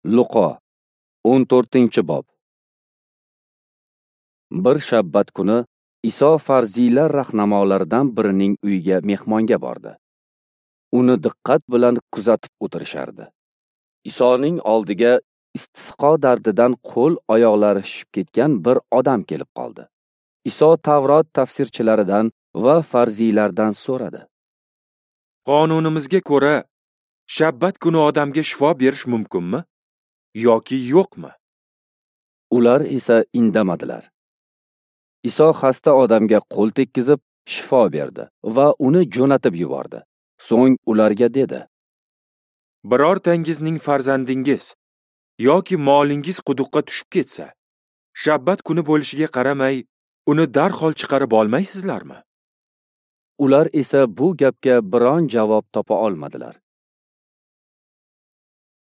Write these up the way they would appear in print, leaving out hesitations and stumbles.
Luqo 14-bob. Bir shabbat kuni Iso farziylar rahnamolaridan birining uyiga mehmonga bordi. Uni diqqat bilan kuzatib o'tirishardi. Isoning oldiga istisqo dardidan qo'l oyoqlari shishib ketgan bir odam kelib qoldi. Iso Tavrot tafsirchilaridan va farziylardan so'radi. Qonunimizga ko'ra, shabbat kuni odamga shifo berish mumkinmi yoki yo'qmi? Ular esa indamadilar. Iso xasta odamga qo'l tekkizib shifo berdi va uni jo'natib yubordi. So'ng ularga dedi: Birortangizning farzandingiz yoki molingiz quduqqa tushib ketsa, shabbat kuni bo'lishiga qaramay, uni darhol chiqarib olmaysizlarmi? Ular esa bu gapga biron javob topa olmadilar.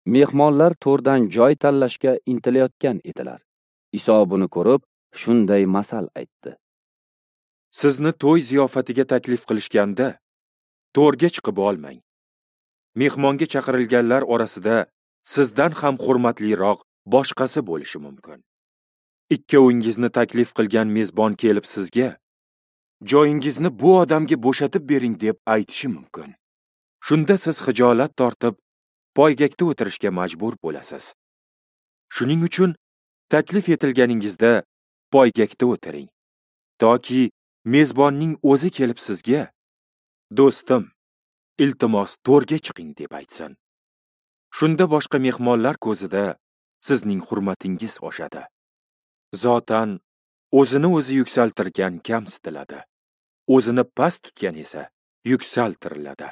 Mehmonlar to'rdan joy tanlashga intilayotgan edilar. Iso buni ko'rib, shunday masal aytdi. Sizni to'y ziyofatiga taklif qilishganda, to'rga chiqib olmang. Mehmonga chaqirilganlar orasida sizdan ham hurmatliroq boshqasi bo'lishi mumkin. Ikkovingizni taklif qilgan mezbon kelib sizga, joyingizni bu odamga bo'shatib bering deb aytishi mumkin. Shunda siz xijolat tortib, poygakda o'tirishga majbur bo'lasiz. Shuning uchun taklif etilganingizda poygakda o'tiring, toki mezbonning o'zi kelib sizga, do'stim, iltimos to'rga chiqing deb aytsin. Shunda boshqa mehmonlar ko'zida sizning hurmatingiz oshadi. Zotan o'zini o'zi yuksaltirgan kamsitiladi, o'zini past tutgan esa yuksaltiriladi.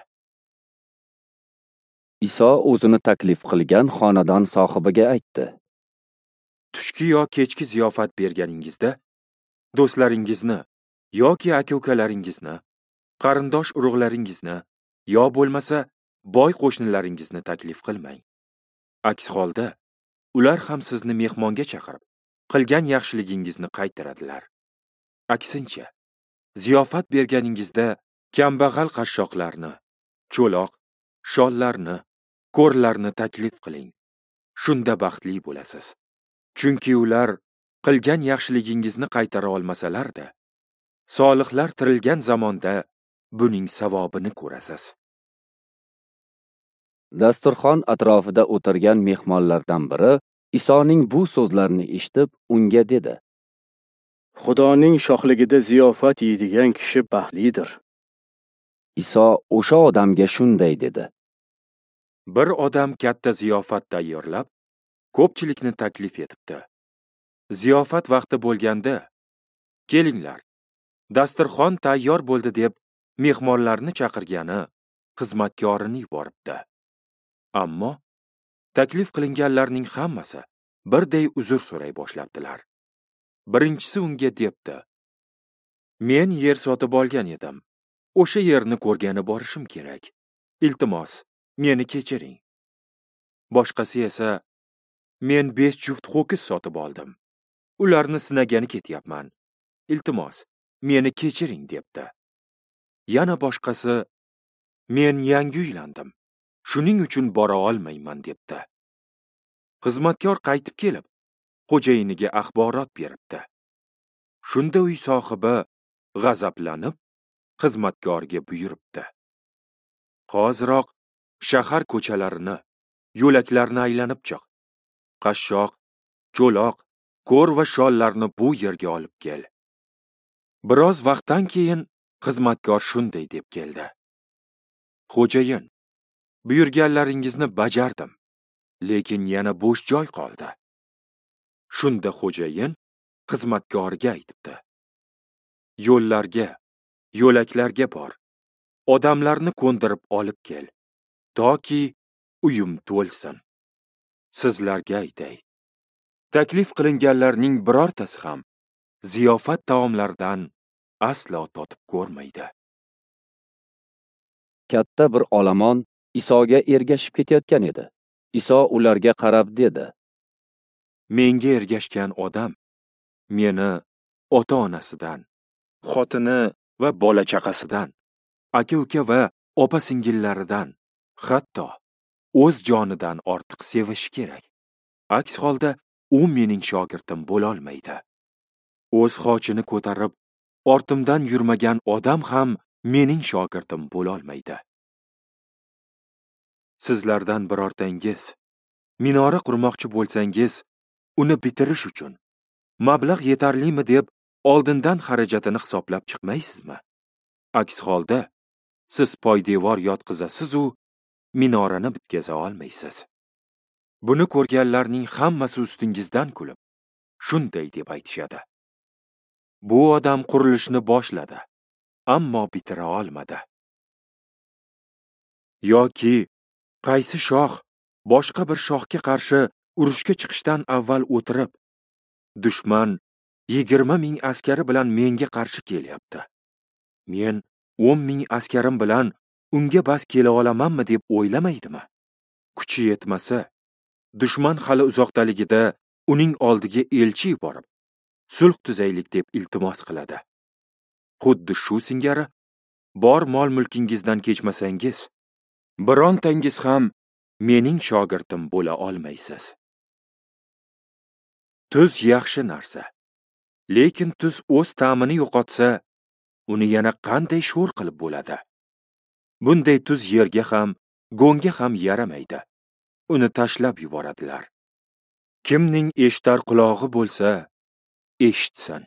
Iso o'zini taklif qilgan xonadon sohibiga aytdi: Tushki yo kechki ziyofat berganingizda do'stlaringizni yoki aka-ukalaringizni, qarindosh urug'laringizni yo bo'lmasa boy qo'shnilaringizni taklif qilmang. Aks holda ular ham sizni mehmonga chaqirib, qilgan yaxshiligingizni qaytaradilar. Aksincha, ziyofat berganingizda kambag'al qashshoqlarni, cho'loq, shollarni, ko'rlarni taklif qiling. Shunda baxtli bo'lasiz. Chunki ular qilgan yaxshiligingizni qaytara olmasalar-da, solihlar tirilgan zamonda buning savobini ko'rasiz. Dasturxon atrofida o'tirgan mehmonlardan biri Isoning bu so'zlarini eshitib, unga dedi: Xudoning shohligida ziyofat yeydigan kishi baxtlidir. Iso o'sha odamga shunday dedi: Bir odam katta ziyofat tayyorlab, ko'pchilikni taklif etibdi. Ziyofat vaqti bo'lganda, kelinglar, dasturxon tayyor bo'ldi deb mehmonlarni chaqirgani xizmatkorini yuboribdi. Ammo taklif qilinganlarning hammasi birday uzr so'ray boshlabdilar. Birinchisi unga debdi: Men yer sotib olgan edim. O'sha yerni ko'rgani borishim kerak. Iltimos, meni kechiring. Boshqasi esa: Men 5 juft ho'kiz sotib oldim. Ularni sinagani ketyapman. Iltimos, meni kechiring debdi. Yana boshqasi: Men yangi uylandim. Shuning uchun bora olmayman debdi. Xizmatkor qaytib kelib, xo'jayiniga axborot beribdi. Shunda uy sohibi g'azablanib, xizmatkorga buyuribdi: Hoziroq shahar ko'chalarini, yo'laklarni aylanib chiq. Qashshoq, cho'loq, ko'r va shollarni bu yerga olib kel. Biroz vaqtdan keyin xizmatkor shunday deb keldi: Xo'jayin, buyurganlaringizni bajardim, lekin yana bo'sh joy qoldi. Shunda xo'jayin xizmatkorga aytibdi: Yo'llarga, yo'laklarga bor, odamlarni ko'ndirib olib kel, toki uyim to'lsin. Sizlarga aytay, taklif qilinganlarning birortasi ham ziyofat taomlaridan aslo totib ko'rmaydi. Katta bir olomon Isoga ergashib ketayotgan edi. Iso ularga qarab dedi: Menga ergashgan odam meni ota-onasidan, xotini va bola-chaqasidan, aka-uka va opa-singillaridan, hatto o'z jonidan ortiq sevishi kerak. Aks holda u mening shogirdim bo'lolmaydi. O'z xochini ko'tarib, ortimdan yurmagan odam ham mening shogirdim bo'lolmaydi. Sizlardan birortangiz minora qurmoqchi bo'lsangiz, uni bitirish uchun mablag' yetarlimi deb oldindan xarajatini hisoblab chiqmaysizmi? Aks holda siz poydevor yotqizasiz-u, minorani bitkaza olmaysiz. Buni ko'rganlarning hammasi ustingizdan kulib, shunday deb aytishadi: bu odam qurilishni boshladi, ammo bitira olmadi. Yoki qaysi shoh boshqa bir shohga qarshi urushga chiqishdan avval o'tirib, dushman 20 ming askari bilan menga qarshi kelyapti, men 10 ming askarim bilan unga bas kela olamanmi deb o'ylamaydimi? Kuchi yetmasa, dushman hali uzoqdaligida uning oldiga elchi yuborib, sulh tuzaylik deb iltimos qiladi. Xuddi shu singari bor mol-mulkingizdan kechmasangiz, birontangiz ham mening shogirdim bo'la olmaysiz. Tuz yaxshi narsa, lekin tuz o'z ta'mini yo'qotsa, uni yana qanday sho'r qilib bo'ladi? Bunday tuz yerga ham, go'ngga ham yaramaydi. Uni tashlab yuboradilar. Kimning eshitar qulog'i bo'lsa, eshitsin.